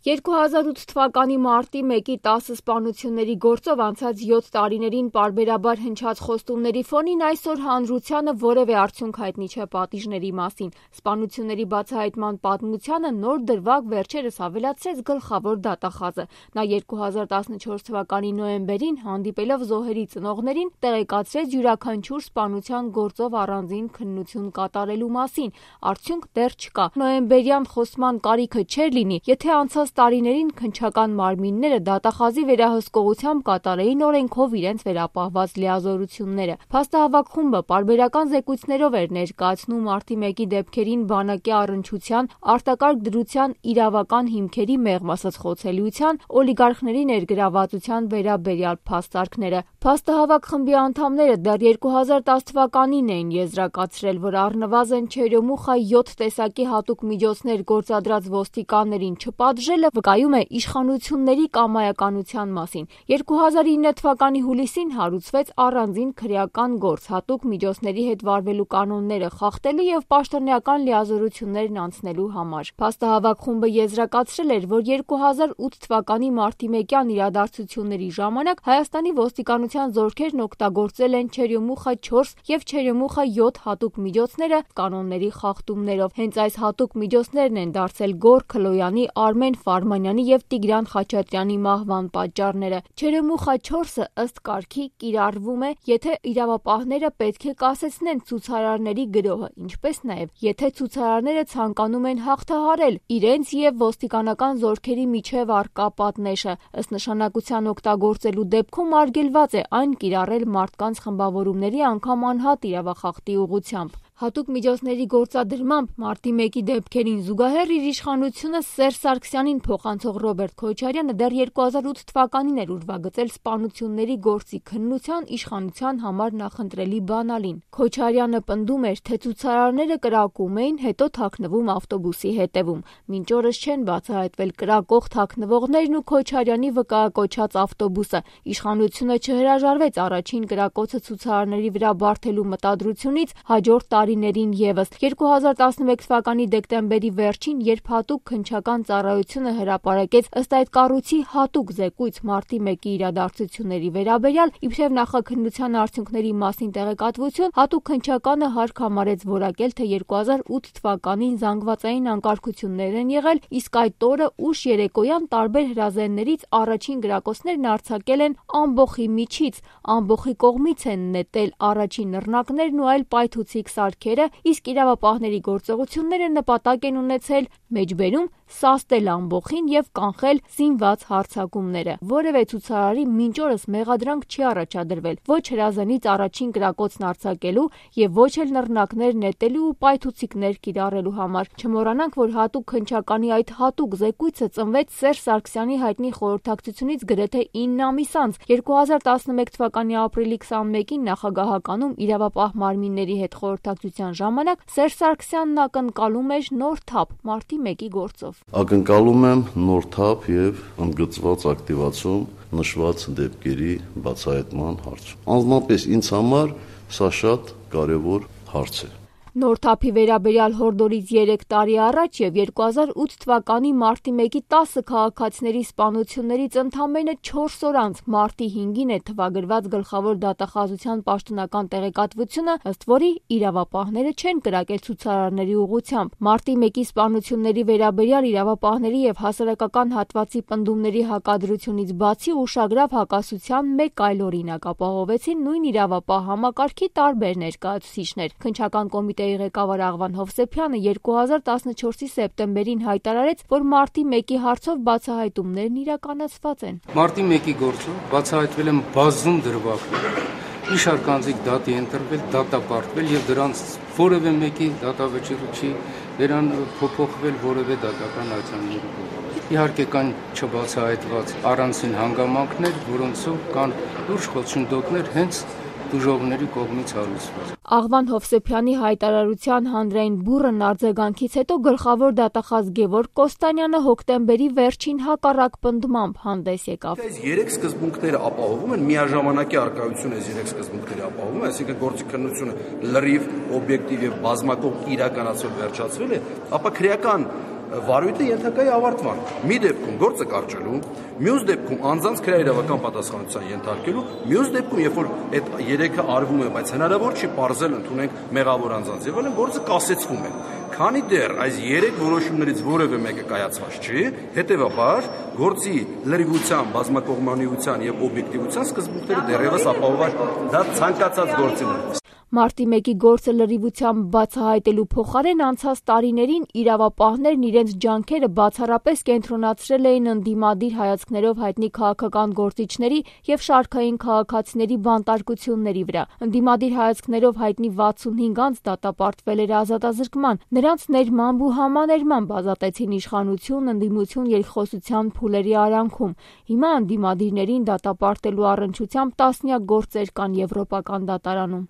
2008 թվականի մարտի 1-ի 10 սպանությունների գործով անցած 7 տարիներին պարբերաբար հնչած խոստումների ֆոնին այսօր հանրությանը որևէ արդյունք հայտնի չէ պատիժների մասին։ Սպանությունների բացահայտման պատմությանը նոր դրվագ վերջերս ավելացրեց գլխավոր դատախազը։ Նա 2014 թվականի նոյեմբերին հանդիպելով զոհերի ծնողներին տեղեկացրեց յուրաքանչյուր սպանության գործով առանձին քննություն կատարելու մասին։ Արդյունք դեռ չկա։ Նոյեմբերյան խոսման կարիքը չէր լինի, եթե անցած տարիներին քննչական մարմինները դատախազի վերահսկողությամբ կատարեին օրենքով իրենց վերապահված լիազորությունները։ Փաստահավաք խումբը պարբերական զեկույցներով էր ներկայացնում մարտի 1-ի դեպքերին բանակի առնչության, արտակարգ դրության իրավական հիմքերի մեղմ ասած խոցելիության, օլիգարխների ներգրավվածության վերաբերյալ փաստարկները։ Փաստահավաք խմբի անդամները դեռ 2010 թվականին էին եզրակացրել, որ առնվազն չերյոմուխա 7 տեսակի հատուկ միջոցներ գործադրած ոստիկաններին չպատժելը վկայում է իշխանությունների կամայականության մասին։ 2009 թվականի հուլիսին հարուցվեց առանձին քրեական գործ հատուկ միջոցների հետ վարվելու կանոնները խախտելու եւ պաշտոնեական լիազորություններն անցնելու համար։ Փաստահավաք խումբը եզրակացրել էր, որ 2008 թվականի մարտի 1-յան իրադարձությունների ժամանակ Հայաստանի ոստիկանության զորքերն օգտագործել են չերյոմուխա 4 եւ չերյոմուխա 7 հատուկ միջոցները կանոնների խախտումներով։ Հենց այս հատուկ միջոցներն են դարձել Գոռ Քլոյանի, Արմեն Ֆարմանյանի եւ Տիգրան Խաչատրյանի մահվան պատճառները։ Չերյոմուխա 4-ը ըստ կարգի կիրառվում է, եթե իրավապահները պետք է կասեցնեն ցուցարարների գրոհը, ինչպես նաեւ եթե ցուցարարները ցանկանում են հաղթահարել իրենց եւ ոստիկանական զորքերի միջև առկա պատնեշը։ Ըստ նշանակության օգտագործելու դեպքում արգելված է այն կիրառել մարդկանց խմբավորումների անգամ անհատ իրավախախտի ուղղությամբ։ Հատուկ միջոցների գործադրմամբ մարտի 1-ի դեպքերին զուգահեռ իր իշխանությունը Սերժ Սարգսյանին փոխանցող Ռոբերտ Քոչարյանը դեռ 2008 թվականին էր ուրվագծել սպանությունների գործի քննության իշխանության համար նախընտրելի բանալին։ Քոչարյանը պնդում էր, թե ցուցարարները կրակում էին, հետո թաքնվում ավտոբուսի հետևում։ Մինչ օրս չեն բացահայտվել կրակող թաքնվողներն ու Քոչարյանի վկայակոչած ավտոբուսը։ Իշխանությունը չհրաժարվեց առաջին կրակոցը ցուցարարների վրա բարթելու մտադրությունից հաջորդ տարիներին եւս 2011 թվականի դեկտեմբերի վերջին, երբ հատուկ քննչական ծառայությունը հրապարակեց ըստ այդ կառույցի հատուկ զեկույց մարտի 1-ի իրադարձությունների վերաբերյալ, իբրև նախաքննության արդյունքների մասին տեղեկատվություն, հատուկ քննչականը հարկ համարեց որակել, թե 2008 թվականին զանգվածային անկարգություններ են եղել, իսկ այդ օրը ուշ երեկոյան տարբեր հրազեններից առաջին գրակոցներն արձակել են ամբոխի միջից, ամբոխի կողմից են նետել առաջին նռնակներն ու այլ պայթուցիկ սարքերը, իսկ իրավապահների գործողությունները նպատակ են ունեցել մեջբերում սաստել ամբոխին եւ կանխել զինված հարձակումները։ Որևէ ցուցարարի մինչ օրս մեղադրանք չի առաջադրվել ոչ հրազենից առաջին կրակոցն արձակելու եւ ոչ էլ նռնակներ նետելու ու պայթուցիկներ կիրառելու համար։ Չմոռանանք, որ հատուկ քննչականի այդ հատուկ զեկույցը ծնվեց Սերժ Սարգսյանի հայտնի խորհրդակցությունից գրեթե 9 ամիս անց 2011 թվականի ապրիլի 21-ին նախագահականում իրավապահ մարմինների հետ խորհրդակցության ժամանակ Սերժ Սարգսյանն ակնկալում էր նոր թափ մարտի 1-ի գործով։ Ակնկալում եմ նոր թափ եւ ընդգծված ակտիվացում նշված դեպքերի բացահայտման հարցում։ Անձնապես ինձ համար սա շատ կարևոր հարց է։ Նոր թափի վերաբերյալ հորդորից 3 տարի առաջ եւ 2008 թվականի մարտի 1-ի 10 քաղաքացիների սպանություններից ընդամենը 4 օր անց մարտի 5-ին է թվագրված գլխավոր դատախազության պաշտոնական տեղեկատվությունը, ըստ որի իրավապահները չեն կրակել ցուցարարների ուղղությամբ։ Մարտի 1-ի սպանությունների վերաբերյալ իրավապահների եւ հասարակական հատվածի պնդումների հակադրությունից բացի ուշագրավ հակասության մեկ այլ օրինակ ապահովեցին նույն իրավապահ համակարգի տարբեր ներկայացուցիչներ։ Քննչական կոմիտեի ղեկավար Աղվան Հովսեփյանը 2014-ի սեպտեմբերին հայտարարեց, որ մարտի 1-ի հարցով բացահայտումներն իրականացված են։ Մարտի 1-ի գործով բացահայտվել են բազում դրվագներ։ Մի շարք անձիկ դատի են տրվել, դատապարտվել եւ դրանց որևէ մեկի դատավճիռը չի փոփոխվել որևէ դատական արձանների։ Իհարկե կան չբացահայտված առանձին հանգամանքներ, որոնցով կան լուրջ խոչընդոտներ հենց դժողների կողմից հարուցված։ Աղվան Հովսեփյանի հայտարարության հանրային բուռն արձագանքից հետո գլխավոր դատախազ Գևորգ Կոստանյանը հոկտեմբերի վերջին հակառակ պնդմամբ հանդես եկավ։ Այս 3 սկզբունքները ապահովում են, միաժամանակի առկայությունը այս 3 սկզբունքների ապահովում է, այսինքն գործի քննությունը լրիվ, օբյեկտիվ եւ բազմակողմ իրականացվել վերջացվել է, ապա քրեական վարույթը ենթակա է ավարտման։ Մի դեպքում գործը կարճելու, մյուս դեպքում անձանց քրեական պատասխանատվության ենթարկելու, մյուս դեպքում, երբ որ այդ երեքը արվում է, բայց հնարավոր չի պարզել ընդունենք մեղավոր անձանց եւ այլն, գործը կասեցվում է։ Քանի դեռ այս 3 որոշումներից որևէ մեկը կայացված չի, հետեւաբար գործի լրիվության, բազմակողմանիության եւ օբյեկտիվության սկզբունքները դեռևս ապահովված դա ցանկացած գործին։ Մարտի 1-ի գործը լրիվությամբ բացահայտելու փոխարեն անցած տարիներին իրավապահներն իրենց ջանքերը բացառապես կենտրոնացրել էին ընդդիմադիր հայացքներով հայտնի քաղաքական գործիչների եւ շարքային քաղաքացիների բանտարկությունների վրա։ Ընդդիմադիր հայացքներով հայտնի 65 անձ դատապարտվել էր ազատազրկման, նրանց ներմամբ ու համաներմամբ ազատեցին իշխանություն, ընդդիմություն երկխոսության փուլերի արանքում։ Հիմա ընդդիմադիրներին դատապարտելու առնչությամբ տասնյակ գործեր կան Եվրոպական դատարանում։